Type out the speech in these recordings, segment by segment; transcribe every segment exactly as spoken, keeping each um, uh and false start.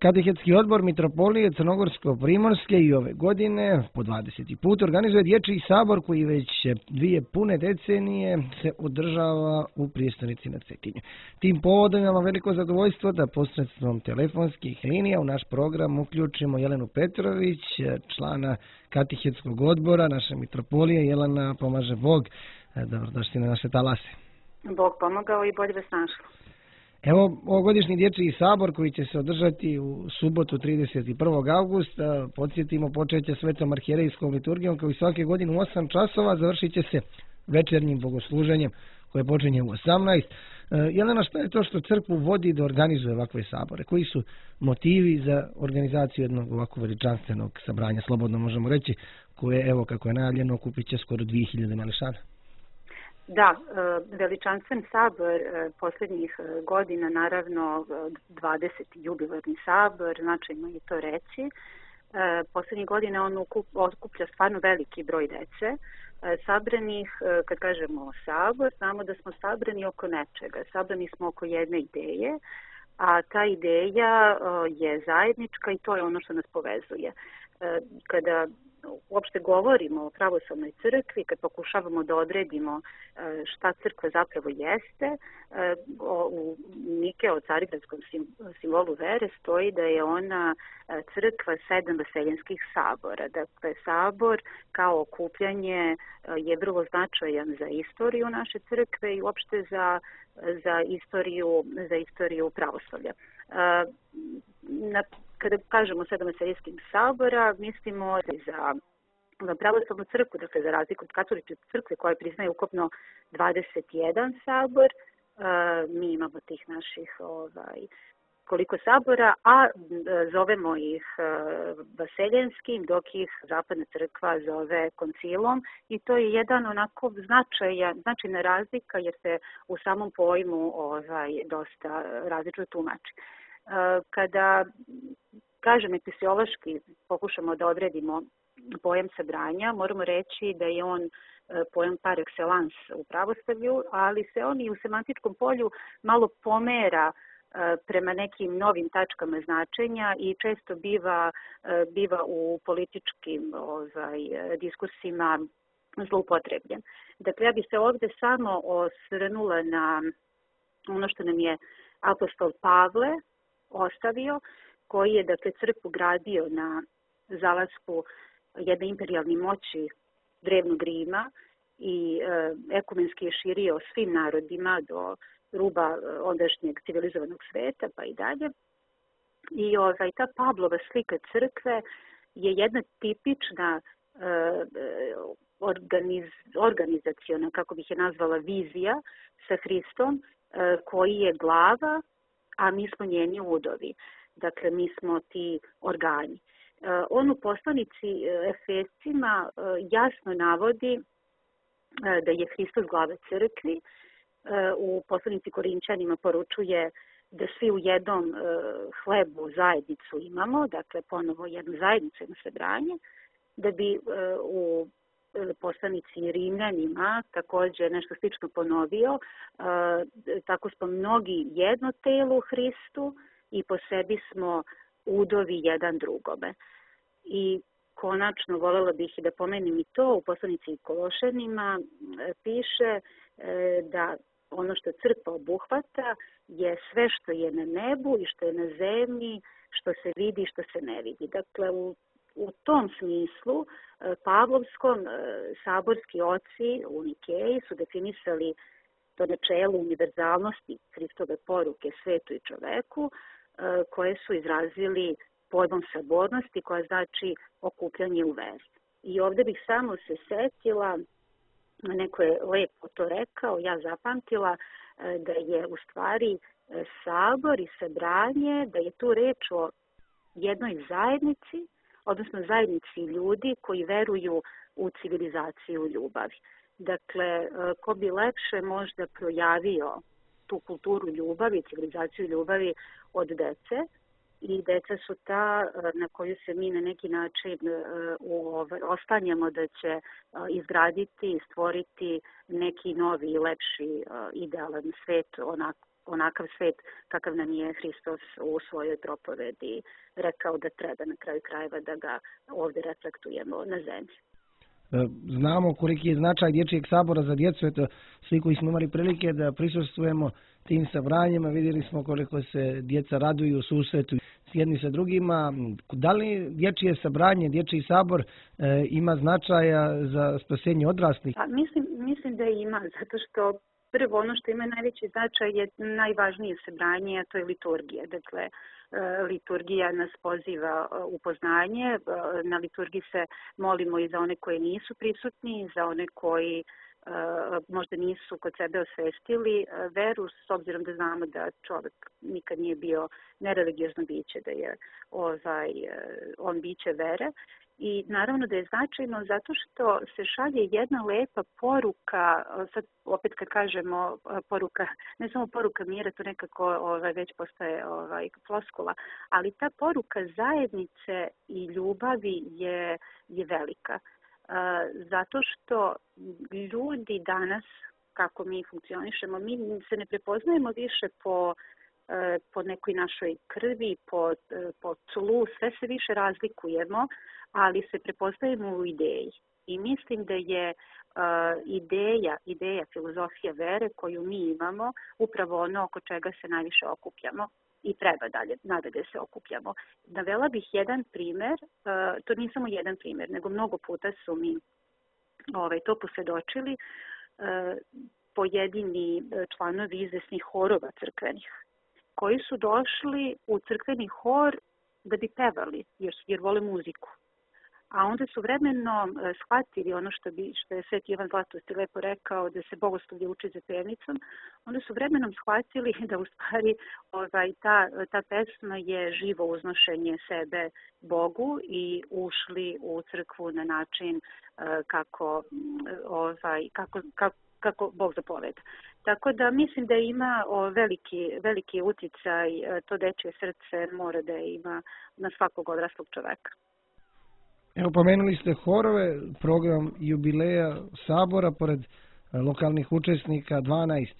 Katehetski odbor Mitropolije Crnogorsko-Primorske i ove godine po dvadeseti put organizuje dječji sabor koji već dvije pune decenije se održava u prijestolnici na Cetinju. Tim povodom imamo veliko zadovoljstvo da posredstvom telefonskih linija u naš program uključimo Jelenu Petrović, člana Katehetskog odbora naše Mitropolije. Jelena, pomaže Bog. Dobrodošli na naše talase. Bog pomogao i bolje vas našao. Evo, ovogodišnji dječji sabor koji će se održati u subotu trideset prvog avgusta, podsjetimo, počeće svetom arhijerejskom liturgijom koji svake godine u osam časova, završit će se večernjim bogosluženjem koje počinje u osamnaest. Jelena, šta je to što crkvu vodi da organizuje ovakve sabore? Koji su motivi za organizaciju jednog ovako veličanstvenog sabranja, slobodno možemo reći, koje, evo kako je najavljeno, okupit će skoro dvije hiljade mališana? Da, veličanstven sabor posljednjih godina, naravno dvadeseti jubilarni sabor, značajno je to reći. Posljednjih godina on okuplja stvarno veliki broj dece. Sabranih, kad kažemo sabor, znamo da smo sabrani oko nečega. Sabrani smo oko jedne ideje, a ta ideja je zajednička i to je ono što nas povezuje. Kada uopšte govorimo o pravoslavnoj crkvi, kad pokušavamo da odredimo šta crkva zapravo jeste, u Nike o carigradskom simbolu vere stoji da je ona crkva sedam vaseljenskih sabora. Dakle, sabor kao okupljanje je vrlo značajan za istoriju naše crkve i uopšte za, za, istoriju, za istoriju pravoslavlja. Na Kada kažemo sedam vaseljenskih sabora, mislimo za pravoslavnu crkvu, dakle za razliku od katoličke crkve koja priznaje ukupno dvadeset jedan sabor, mi imamo tih naših ovaj, koliko sabora, a zovemo ih vaseljenskim, dok ih zapadna crkva zove koncilom i to je jedan onako značajan, značajna razlika jer se u samom pojmu ovaj, dosta različno tumači. Kada, kažem, episiološki pokušamo da odredimo pojam sabranja, moramo reći da je on pojam par excellence u pravoslavlju, ali se on i u semantičkom polju malo pomera prema nekim novim tačkama značenja i često biva, biva u političkim ovaj, diskursima zloupotrebljen. Dakle, ja bih se ovdje samo osvrnula na ono što nam je apostol Pavle ostavio, koji je, dakle, crkvu gradio na zalasku jedne imperijalne moći drevnog Rima i e, ekumenski je širio svim narodima do ruba ondašnjeg civilizovanog sveta pa i dalje. I ovaj, ta Pavlova slika crkve je jedna tipična e, organiz, organizaciona, kako bih je nazvala, vizija sa Hristom, e, koji je glava, a mi smo njeni udovi. Dakle, mi smo ti organi. On u poslanici Efescima jasno navodi da je Hristos glava crkvi. U poslanici Korinčanima poručuje da svi u jednom hlebu zajednicu imamo, dakle ponovo jednu zajednicu, jedno sabranje, da bi u poslanici Rimljanima također nešto slično ponovio. Tako smo mnogi jedno telo u Hristu i po sebi smo udovi jedan drugome. I konačno voljela bih i da pomenem i to, u poslanici Kološanima piše da ono što crkva obuhvata je sve što je na nebu i što je na zemlji, što se vidi i što se ne vidi. Dakle, u U tom smislu Pavlovskom saborski oci u Nikeji su definisali to načelo univerzalnosti Hristove poruke svetu i čoveku, koje su izrazili pojmom sabornosti, koja znači okupljanje u veri. I ovdje bih samo se setila, neko je lepo to rekao, ja zapamtila, da je u stvari sabor i sabranje, da je tu reč o jednoj zajednici, odnosno zajednici ljudi koji veruju u civilizaciju ljubavi. Dakle, ko bi lepše možda projavio tu kulturu ljubavi, civilizaciju ljubavi od dece, i deca su ta na koju se mi na neki način oslanjamo da će izgraditi i stvoriti neki novi i lepši idealan svet onako onakav svet kakav nam je Hristos u svojoj propovedi rekao da treba na kraju krajeva da ga ovdje reflektujemo na zemlji. Znamo koliki je značaj Dječjeg sabora za djecu. Eto, svi koji smo imali prilike da prisustvujemo tim sabranjima, vidjeli smo koliko se djeca raduju u susretu s jedni sa drugima. Da li dječje sabranje, Dječji sabor e, ima značaja za spasenje odraslih? Pa, mislim, mislim da ima, zato što prvo ono što ima najveći značaj je najvažnije sabranje, a to je liturgija. Dakle, liturgija nas poziva u poznanje, na liturgiji se molimo i za one koji nisu prisutni, za one koji možda nisu kod sebe osvestili veru, s obzirom da znamo da čovjek nikad nije bio nereligiozno biće, da je ovaj, on biće vere. I naravno da je značajno zato što se šalje jedna lepa poruka, sad opet kad kažemo poruka, ne samo poruka mira, to nekako ovaj, već postaje ovaj, floskula, ali ta poruka zajednice i ljubavi je, je velika. Zato što ljudi danas, kako mi funkcionišemo, mi se ne prepoznajemo više po po nekoj našoj krvi, po, po tlu, sve se više razlikujemo, ali se prepoznajemo u ideji. I mislim da je uh, ideja, ideja, filozofija vere koju mi imamo, upravo ono oko čega se najviše okupljamo i treba dalje, nadalje se okupljamo. Navela bih jedan primjer, uh, to nije samo jedan primjer, nego mnogo puta su mi ovaj, to posvjedočili uh, pojedini članovi izvesnih horova crkvenih, koji su došli u crkveni hor da bi pevali, jer, jer vole muziku. A onda su vremenom shvatili ono što, bi, što je Sveti Ivan Zlatosti lepo rekao, da se bogoslovlje uči za pevnicom, onda su vremenom shvatili da u stvari ovaj, ta, ta pesma je živo uznošenje sebe Bogu i ušli u crkvu na način kako, ovaj, kako, kako kako Bog zapoveda. Tako da mislim da ima o, veliki, veliki uticaj, to dečje srce mora da ima na svakog odraslog čoveka. Evo, pomenuli ste horove, program jubileja sabora, pored lokalnih učesnika, dvanaest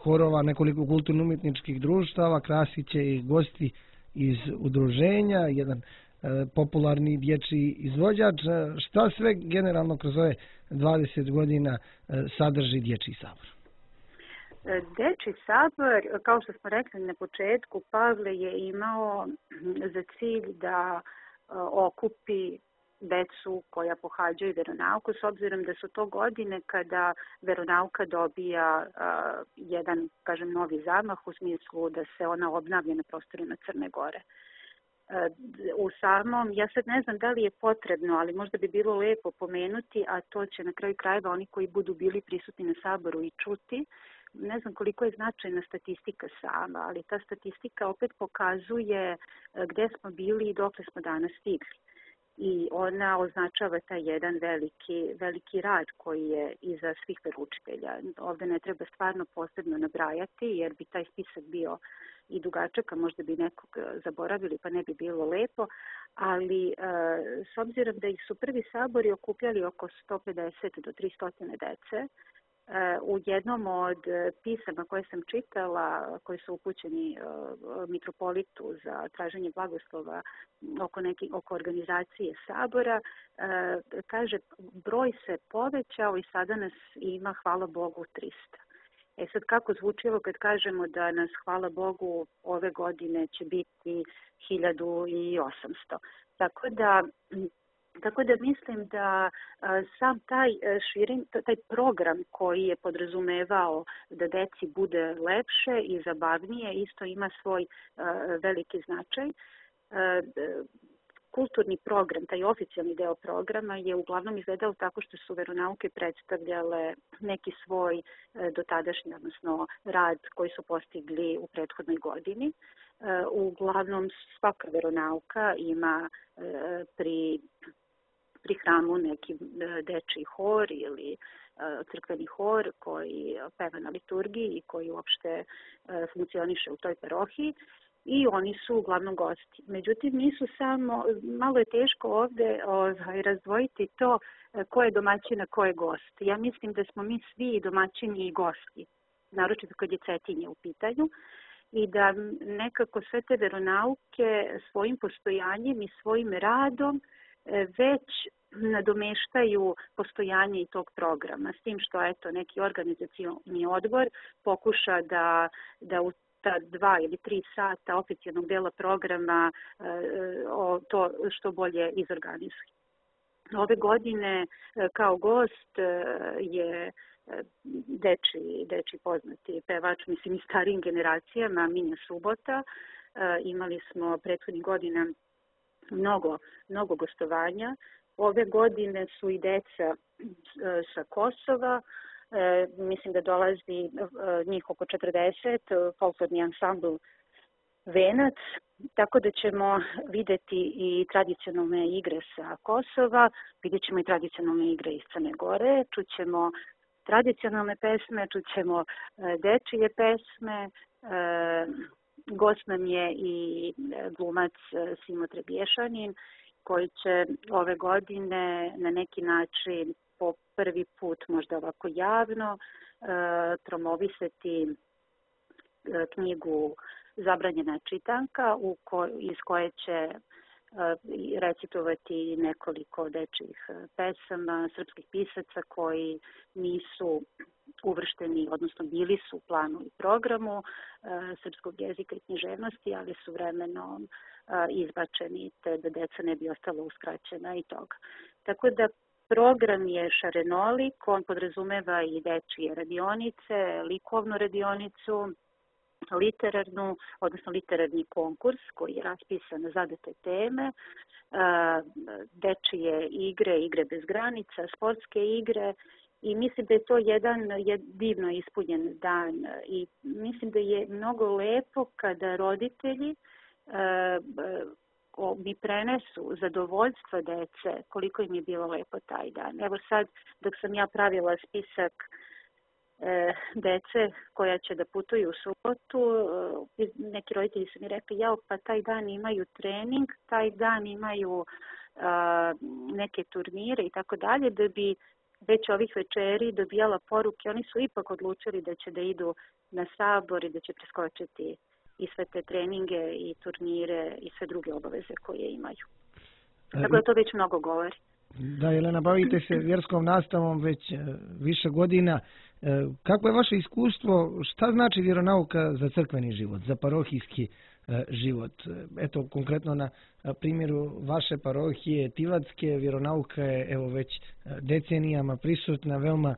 horova, nekoliko kulturno-umjetničkih društava, krasit će i gosti iz udruženja, jedan popularni dječji izvođač. Šta sve generalno kroz ove dvadeset godina sadrži Dječji sabor? Dječji sabor, kao što smo rekli na početku, Pavle je imao za cilj da okupi decu koja pohađaju veronauku, s obzirom da su to godine kada veronauka dobija uh, jedan, kažem, novi zamah u smislu da se ona obnavlja na prostorima Crne Gore. U samom, ja sad ne znam da li je potrebno, ali možda bi bilo lepo pomenuti, a to će na kraju krajeva oni koji budu bili prisutni na saboru i čuti. Ne znam koliko je značajna statistika sama, ali ta statistika opet pokazuje gdje smo bili i dokle smo danas stigli. I ona označava taj jedan veliki, veliki rad koji je iza svih veroučitelja. Ovdje ne treba stvarno posebno nabrajati, jer bi taj spisak bio i dugačak, a možda bi nekog zaboravili pa ne bi bilo lepo, ali e, s obzirom da ih su prvi sabori okupljali oko sto pedeset do tristo dece, e, u jednom od pisama koje sam čitala, koji su upućeni e, mitropolitu za traženje blagoslova oko, neki, oko organizacije sabora, e, kaže broj se povećao i sada nas ima, hvala Bogu, trista. E sad kako zvuči ovo kad kažemo da nas, hvala Bogu, ove godine će biti hiljadu osamsto. Tako da, tako da mislim da a, sam taj širin, taj program koji je podrazumevao da deci bude lepše i zabavnije isto ima svoj a, veliki značaj. A, Kulturni program, taj oficijalni deo programa je uglavnom izgledao tako što su veronauke predstavljale neki svoj dotadašnji, odnosno rad koji su postigli u prethodnoj godini. Uglavnom svaka veronauka ima pri, pri hramu neki dečji hor ili crkveni hor koji peva na liturgiji i koji uopšte funkcioniše u toj parohiji. I oni su uglavnom gosti. Međutim, nisu samo, malo je teško ovdje ovaj, razdvojiti to ko je domaćin, a ko je gost. Ja mislim da smo mi svi domaćini i gosti naročito kad je Cetinje u pitanju, i da nekako sve te veronauke svojim postojanjem i svojim radom već nadomeštaju postojanje i tog programa. S tim što eto, neki organizacioni odbor pokuša da, da u ta dva ili tri sata oficijalnog dela programa o, to što bolje izorganizuje. Ove godine kao gost je deči, deči poznati pevač, mislim i starijim generacijama, Minja Subota. Imali smo prethodnih godina mnogo, mnogo gostovanja. Ove godine su i deca sa Kosova. E, mislim da dolazi njih oko četrdeset, folklorni ansambl Venac, tako da ćemo videti i tradicionalne igre sa Kosova, vidjet ćemo i tradicionalne igre iz Crne Gore, čućemo tradicionalne pesme, čućemo dečije pesme, e, gost nam je i glumac Simo Trebješanin, koji će ove godine na neki način po prvi put, možda ovako javno, promovisati knjigu Zabranjena čitanka, u ko, iz koje će recitovati nekoliko dečjih pesama srpskih pisaca koji nisu uvršteni, odnosno bili su u planu i programu srpskog jezika i književnosti, ali su vremenom izbačeni, te da deca ne bi ostala uskraćena i toga. Tako da program je šarenolik, on podrazumeva i dečije radionice, likovnu radionicu, literarnu, odnosno literarni konkurs koji je raspisan na zadate teme, dečije igre, igre bez granica, sportske igre, i mislim da je to jedan divno ispunjen dan i mislim da je mnogo lepo kada roditelji mi prenesu zadovoljstva dece, koliko im je bilo lepo taj dan. Evo sad, dok sam ja pravila spisak e, dece koja će da putuju u subotu, e, neki roditelji su mi rekli, jao, pa taj dan imaju trening, taj dan imaju a, neke turnire i tako dalje, da bi već ovih večeri dobijala poruke. Oni su ipak odlučili da će da idu na sabor i da će preskočiti i sve te treninge i turnire i sve druge obaveze koje imaju. Tako da to već mnogo govori. Da, Jelena, bavite se vjerskom nastavom već više godina. Kako je vaše iskustvo, šta znači vjeronauka za crkveni život, za parohijski život? Eto, konkretno na primjeru vaše parohije Tivadske, vjeronauka je evo već decenijama prisutna, veoma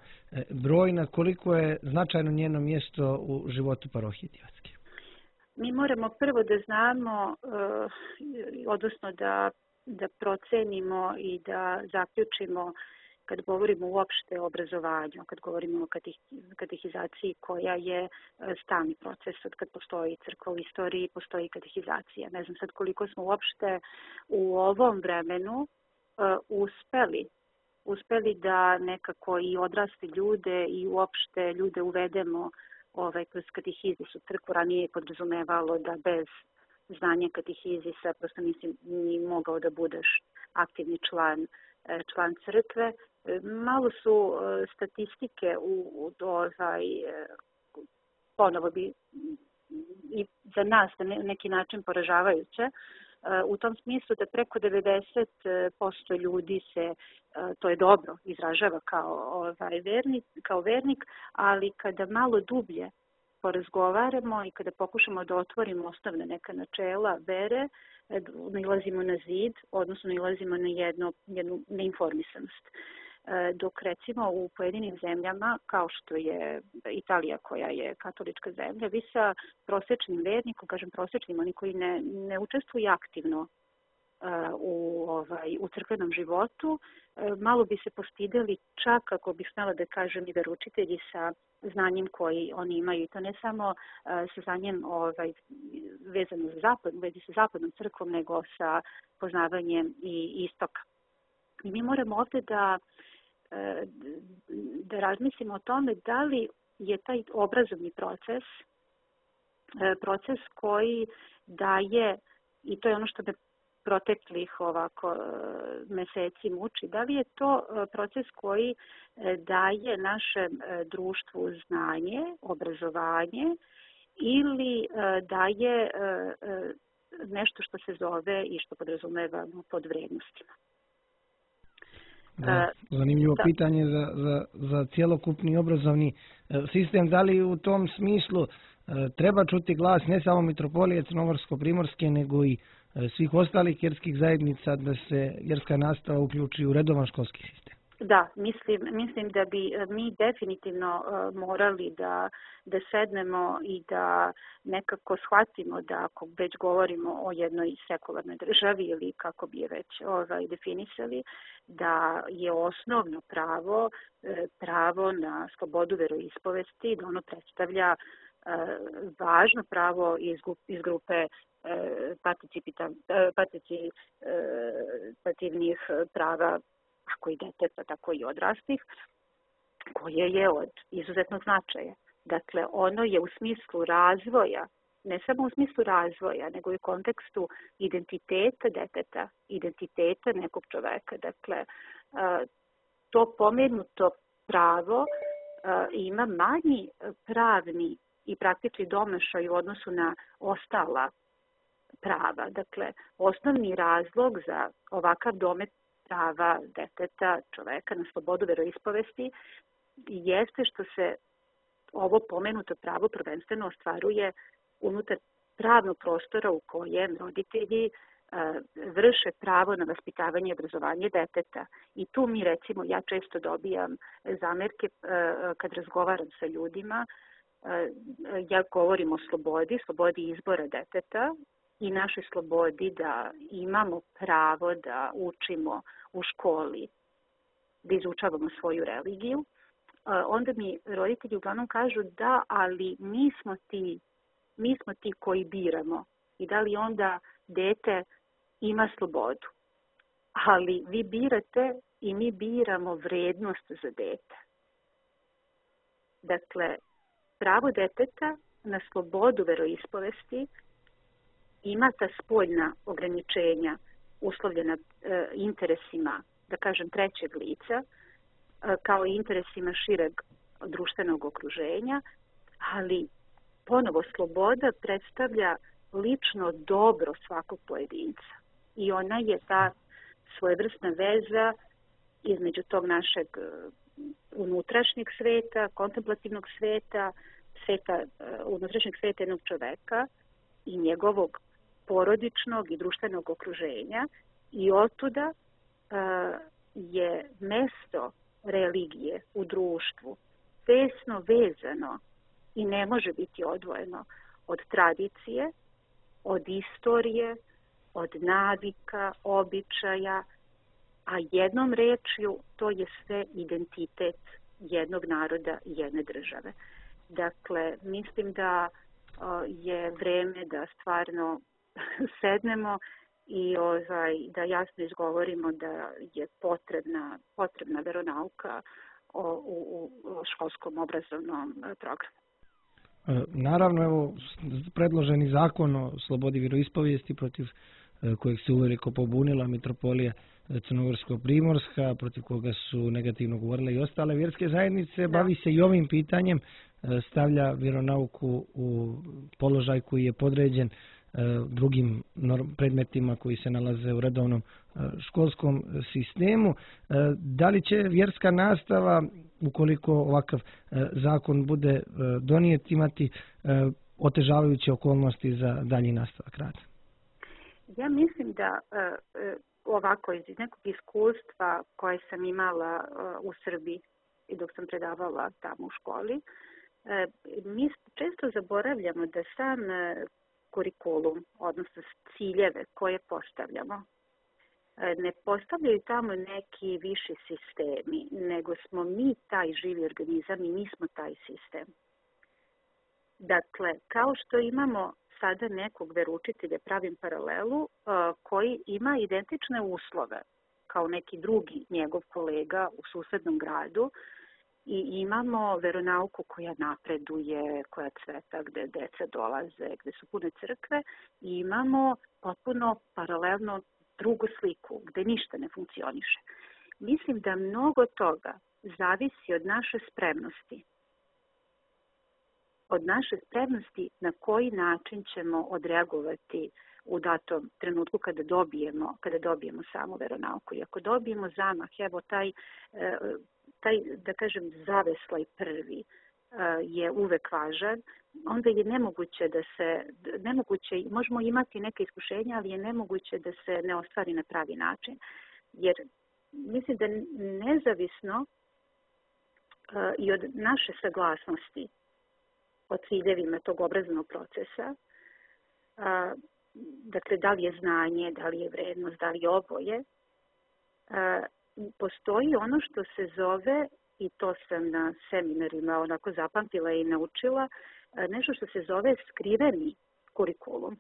brojna. Koliko je značajno njeno mjesto u životu parohije Tivadske? Mi moramo prvo da znamo, odnosno da, da procenimo i da zaključimo kad govorimo uopšte o obrazovanju, kad govorimo o katehizaciji koja je stalni proces, od kad postoji crkva u istoriji, postoji katehizacija. Ne znam sad koliko smo uopšte u ovom vremenu uh, uspeli, uspeli da nekako i odrasli ljude i uopšte ljude uvedemo ovaj, kroz katehizis u crkvu. Ranije je podrazumevalo da bez znanja katehizisa prosto nisi ni mogao da budeš aktivni član član crkve. Malo su statistike u, u ovaj, ponovo bi i za nas na neki način poražavajuće, u tom smislu da preko devedeset posto ljudi se, to je dobro, izražava kao, ovaj, vernik, kao vernik, ali kada malo dublje porazgovaramo i kada pokušamo da otvorimo osnovne neka načela vere, nalazimo na zid, odnosno nalazimo na jedno, jednu neinformisanost. Dok recimo u pojedinim zemljama, kao što je Italija koja je katolička zemlja, vi sa prosečnim vernikom, kažem prosečnim, oni koji ne, ne učestvuju aktivno u, ovaj, u crkvenom životu, malo bi se postideli čak, ako bih smela da kažem, i veroučitelji sa znanjem koji oni imaju. I to ne samo sa znanjem ovaj, vezano za zapad, vezi sa zapadnom crkvom, nego sa poznavanjem i istoka. I mi moramo ovdje da, da razmislimo o tome da li je taj obrazovni proces, proces koji daje, i to je ono što me proteklih ovako meseci muči? Da li je to proces koji daje našem društvu znanje, obrazovanje ili daje nešto što se zove i što podrazumevamo pod vrednostima? Da, zanimljivo da. pitanje za, za, za cjelokupni obrazovni sistem. Da li u tom smislu treba čuti glas ne samo Mitropolije Crnogorsko-primorske, nego i svih ostalih vjerskih zajednica da se vjerska nastava uključi u redovan školski sistem? Da, mislim, mislim da bi mi definitivno morali da, da sednemo i da nekako shvatimo da ako već govorimo o jednoj sekularnoj državi ili kako bi je već ovaj, definisali, da je osnovno pravo pravo na slobodu veroispovesti, da ono predstavlja važno pravo iz, iz grupe participativnih prava kako i deteta, tako i odraslih, koje je od izuzetnog značaja. Dakle, ono je u smislu razvoja, ne samo u smislu razvoja, nego i u kontekstu identiteta deteta, identiteta nekog čoveka. Dakle, to pomenuto pravo ima manji pravni i praktični domašaj u odnosu na ostala prava. Dakle, osnovni razlog za ovakav domet prava deteta, čoveka na slobodu veroispovesti jeste što se ovo pomenuto pravo prvenstveno ostvaruje unutar pravnog prostora u kojem roditelji vrše pravo na vaspitavanje i obrazovanje deteta. I tu mi recimo, ja često dobijam zamerke kad razgovaram sa ljudima, ja govorim o slobodi, slobodi izbora deteta i našoj slobodi da imamo pravo da učimo u školi, da izučavamo svoju religiju, onda mi roditelji uglavnom kažu da, ali mi smo ti, mi smo ti koji biramo i da li onda dete ima slobodu. Ali vi birate i mi biramo vrednost za dete. Dakle, pravo deteta na slobodu veroispovesti ima ta spoljna ograničenja uslovljena e, interesima, da kažem, trećeg lica, e, kao i interesima šireg društvenog okruženja, ali ponovo sloboda predstavlja lično dobro svakog pojedinca. I ona je ta svojevrsna veza između tog našeg unutrašnjeg sveta, kontemplativnog sveta, sveta, unutrašnjeg sveta jednog čoveka i njegovog porodičnog i društvenog okruženja i otuda uh, je mesto religije u društvu tesno vezano i ne može biti odvojeno od tradicije, od istorije, od navika, običaja, a jednom rečju to je sve identitet jednog naroda i jedne države. Dakle, mislim da uh, je vreme da stvarno sednemo i ovaj, da jasno izgovorimo da je potrebna, potrebna veronauka o, u, u školskom obrazovnom programu. Naravno, evo, predloženi zakon o slobodi vjeroispovijesti protiv kojeg se uveliko pobunila Mitropolija Crnogorsko-primorska, protiv koga su negativno govorile i ostale vjerske zajednice, da. Bavi se i ovim pitanjem, stavlja vjeronauku u položaj koji je podređen drugim predmetima koji se nalaze u redovnom školskom sistemu. Da li će vjerska nastava, ukoliko ovakav zakon bude donijet, imati otežavajuće okolnosti za dalji nastavak rada? Ja mislim da ovako iz nekog iskustva koje sam imala u Srbiji i dok sam predavala tamo u školi, mi često zaboravljamo da sam kurikulum, odnosno ciljeve koje postavljamo, ne postavljaju tamo neki viši sistemi, nego smo mi taj živi organizam i mi smo taj sistem. Dakle, kao što imamo sada nekog veroučitelja, pravim paralelu, koji ima identične uslove kao neki drugi njegov kolega u susednom gradu, i imamo veronauku koja napreduje, koja cveta, gde deca dolaze, gde su pune crkve, i imamo potpuno paralelno drugu sliku gde ništa ne funkcioniše. Mislim da mnogo toga zavisi od naše spremnosti. Od naše spremnosti na koji način ćemo odreagovati u datom trenutku kada dobijemo, kada dobijemo samu veronauku. I ako dobijemo zamah, evo taj, taj da kažem, zaveslaj prvi je uvek važan, onda je nemoguće da se, nemoguće, možemo imati neke iskušenja, ali je nemoguće da se ne ostvari na pravi način. Jer mislim da nezavisno i od naše saglasnosti o ciljevima tog obrazovnog procesa, dakle, da li je znanje, da li je vrednost, da li je oboje, postoji ono što se zove, i to sam na seminarima onako zapamtila i naučila, nešto što se zove skriveni kurikulum.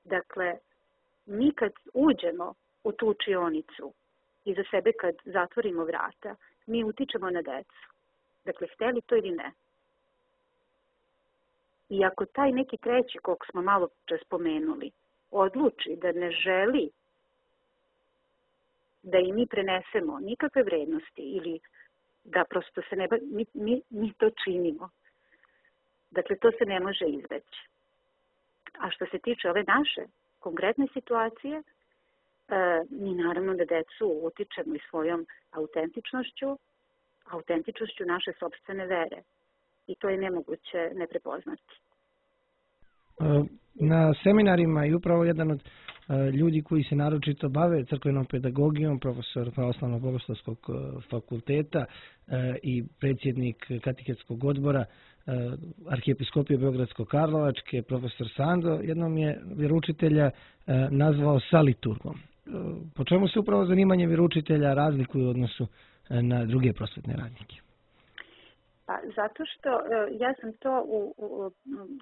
Dakle, mi kad uđemo u tu učionicu i za sebe kad zatvorimo vrata, mi utičemo na decu. Dakle, hteli to ili ne. I ako taj neki treći, koliko smo malo čas spomenuli, odluči da ne želi da i mi prenesemo nikakve vrednosti ili da prosto se ne... Mi, mi, mi to činimo. Dakle, to se ne može izbeći. A što se tiče ove naše konkretne situacije, e, mi naravno da decu utičemo i svojom autentičnošću, autentičnošću naše sopstvene vere. I to je nemoguće ne prepoznati. Na seminarima i upravo jedan od ljudi koji se naročito bave crkvenom pedagogijom, profesor Pravoslavnog bogoslovskog fakulteta i predsjednik katehetskog odbora Arhijepiskopije Beogradsko-Karlovačke, profesor Sando, jednom je vjeroučitelja nazvao saliturgom. Po čemu se upravo zanimanje vjeroučitelja razlikuje u odnosu na druge prosvetne radnike? Pa, zato što ja sam to u, u,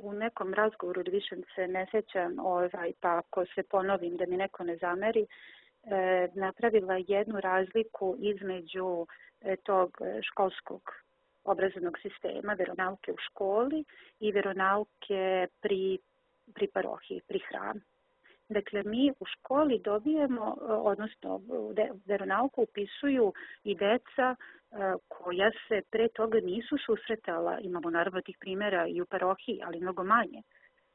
u nekom razgovoru, više se ne sjećam, ovaj, pa ako se ponovim da mi neko ne zameri, e, napravila jednu razliku između e, tog školskog obrazovnog sistema, veronauke u školi i veronauke pri, pri parohiji, pri hramu. Dakle, mi u školi dobijemo, odnosno veronauku upisuju i deca koja se pre toga nisu susretala, imamo naravno tih primjera i u parohiji, ali mnogo manje.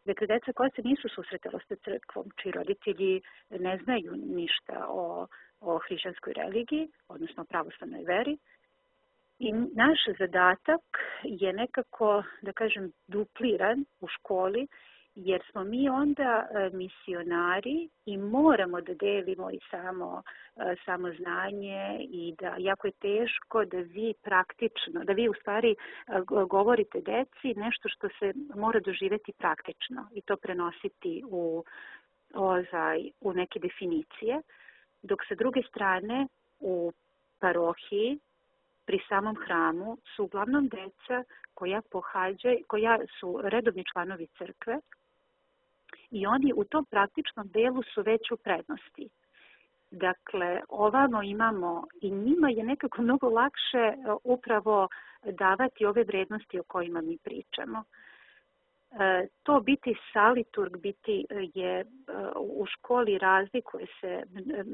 Dakle, deca koja se nisu susretala s crkvom, čiji roditelji ne znaju ništa o, o hrišćanskoj religiji, odnosno pravoslavnoj veri. I naš zadatak je nekako, da kažem, dupliran u školi, jer smo mi onda misionari i moramo da delimo i samo, samo znanje i da jako je teško da vi praktično, da vi u stvari govorite deci nešto što se mora doživjeti praktično i to prenositi u, ozaj, u neke definicije, dok sa druge strane u parohiji pri samom hramu su uglavnom deca koja pohađaju, koja su redovni članovi crkve, i oni u tom praktičnom delu su već u prednosti. Dakle, ovamo imamo i njima je nekako mnogo lakše upravo davati ove vrednosti o kojima mi pričamo. E, to biti saliturg, biti je u školi razlikuje se,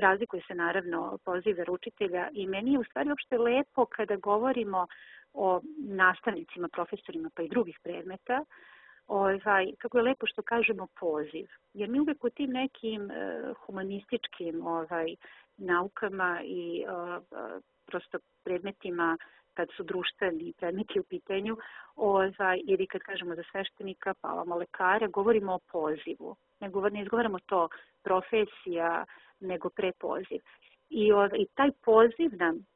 razlikuje se naravno poziv veroučitelja i meni je u stvari uopšte lepo kada govorimo o nastavnicima, profesorima pa i drugih predmeta, Ovaj, kako je lepo što kažemo poziv. Jer mi uvijek u tim nekim uh, humanističkim ovaj, naukama i uh, prosto predmetima, kad su društveni predmeti u pitanju, ovaj, ili kad kažemo za sveštenika, pa ovamo lekara, govorimo o pozivu. Ne, govor, ne izgovaramo to profesija, nego prepoziv. I, ovaj, i taj poziv nam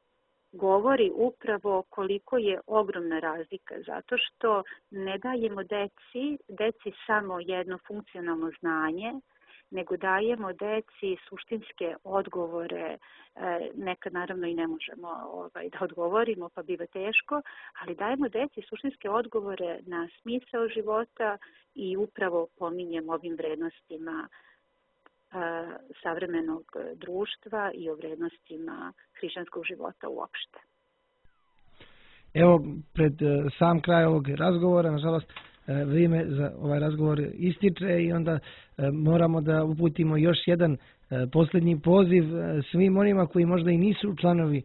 govori upravo koliko je ogromna razlika, zato što ne dajemo deci, deci samo jedno funkcionalno znanje, nego dajemo deci suštinske odgovore, nekad naravno i ne možemo ovaj, da odgovorimo, pa biva teško, ali dajemo deci suštinske odgovore na smisao života i upravo pominjem ovim vrednostima savremenog društva i o vrednostima hrišćanskog života uopšte. Evo, pred sam kraj ovog razgovora, nažalost, vrijeme za ovaj razgovor ističe i onda moramo da uputimo još jedan posljednji poziv svim onima koji možda i nisu članovi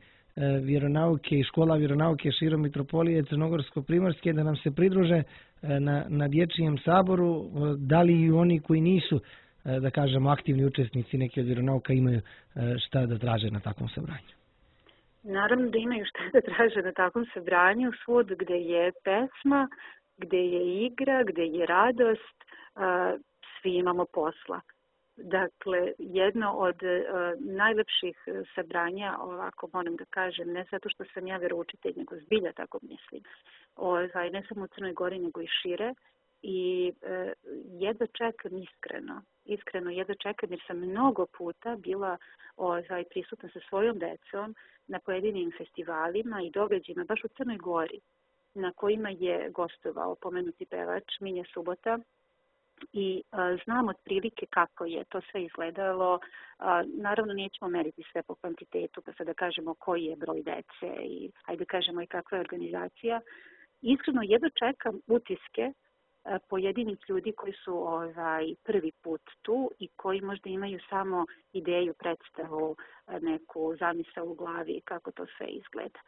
vjeronauke i škola vjeronauke širom Mitropolije Crnogorsko-primorske da nam se pridruže na, na dječjem saboru, da li i oni koji nisu, da kažemo, aktivni učesnici neke od vjeronauka imaju šta da traže na takvom sabranju. Naravno da imaju šta da traže na takvom sabranju, svud gde je pesma, gde je igra, gde je radost, svi imamo posla. Dakle, jedno od uh, najlepših sabranja, ovako moram da kažem, ne zato što sam ja veroučitelj, nego zbilja tako mislim, ovaj, ne samo u Crnoj Gori, nego i šire. I uh, jedva čekam iskreno, iskreno jedva čekam jer sam mnogo puta bila ovaj, prisutna sa svojom decom na pojedinim festivalima i događajima, baš u Crnoj Gori, na kojima je gostovao pomenuti pevač Minja Subota. I a, znam otprilike kako je to sve izgledalo. A, naravno nećemo meriti sve po kvantitetu, pa sad da kažemo koji je broj dece i ajde kažemo i kakva je organizacija. Iskreno jedno čekam utiske a, pojedinih ljudi koji su ovaj, prvi put tu i koji možda imaju samo ideju, predstavu, a, neku zamisao u glavi kako to sve izgleda.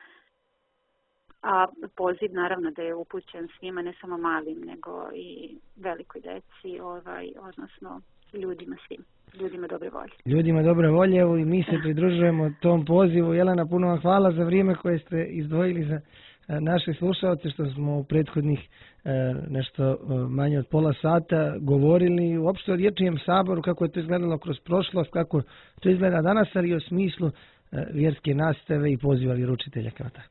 A poziv naravno da je upućen svima, ne samo malim, nego i velikoj deci, ovaj, odnosno ljudima svim, ljudima dobre volje. Ljudima dobre volje, evo i mi se pridružujemo tom pozivu. Jelena, puno vam hvala za vrijeme koje ste izdvojili za naše slušalce, što smo u prethodnih nešto manje od pola sata govorili uopšte o dječjem saboru, kako je to izgledalo kroz prošlost, kako to izgleda danas, ali i o smislu vjerske nastave i poziva vjeroučitelja kao tako.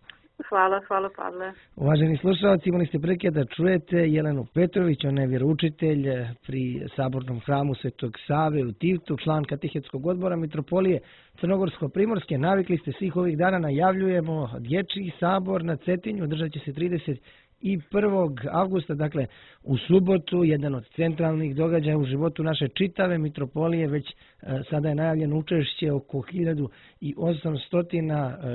Hvala, hvala Pavle. Uvaženi slušalci, imali ste prilike da čujete Jelenu Petrović, ona je vjeroučitelj pri Sabornom hramu Svetog Save u Tivtu, član Katehetskog odbora Mitropolije Crnogorsko-primorske. Navikli ste svih ovih dana, najavljujemo dječji sabor na Cetinju, održat će se trideset prvog avgusta, dakle u subotu, jedan od centralnih događaja u životu naše čitave Mitropolije. Već e, sada je najavljeno učešće oko hiljadu osamsto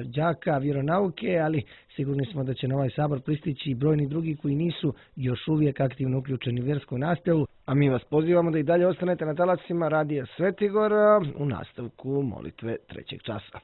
đaka vjeronauke, ali sigurni smo da će na ovaj sabor pristići i brojni drugi koji nisu još uvijek aktivno uključeni u vjersku nastavu. A mi vas pozivamo da i dalje ostanete na talasima Radija Svetigor u nastavku molitve trećeg časa.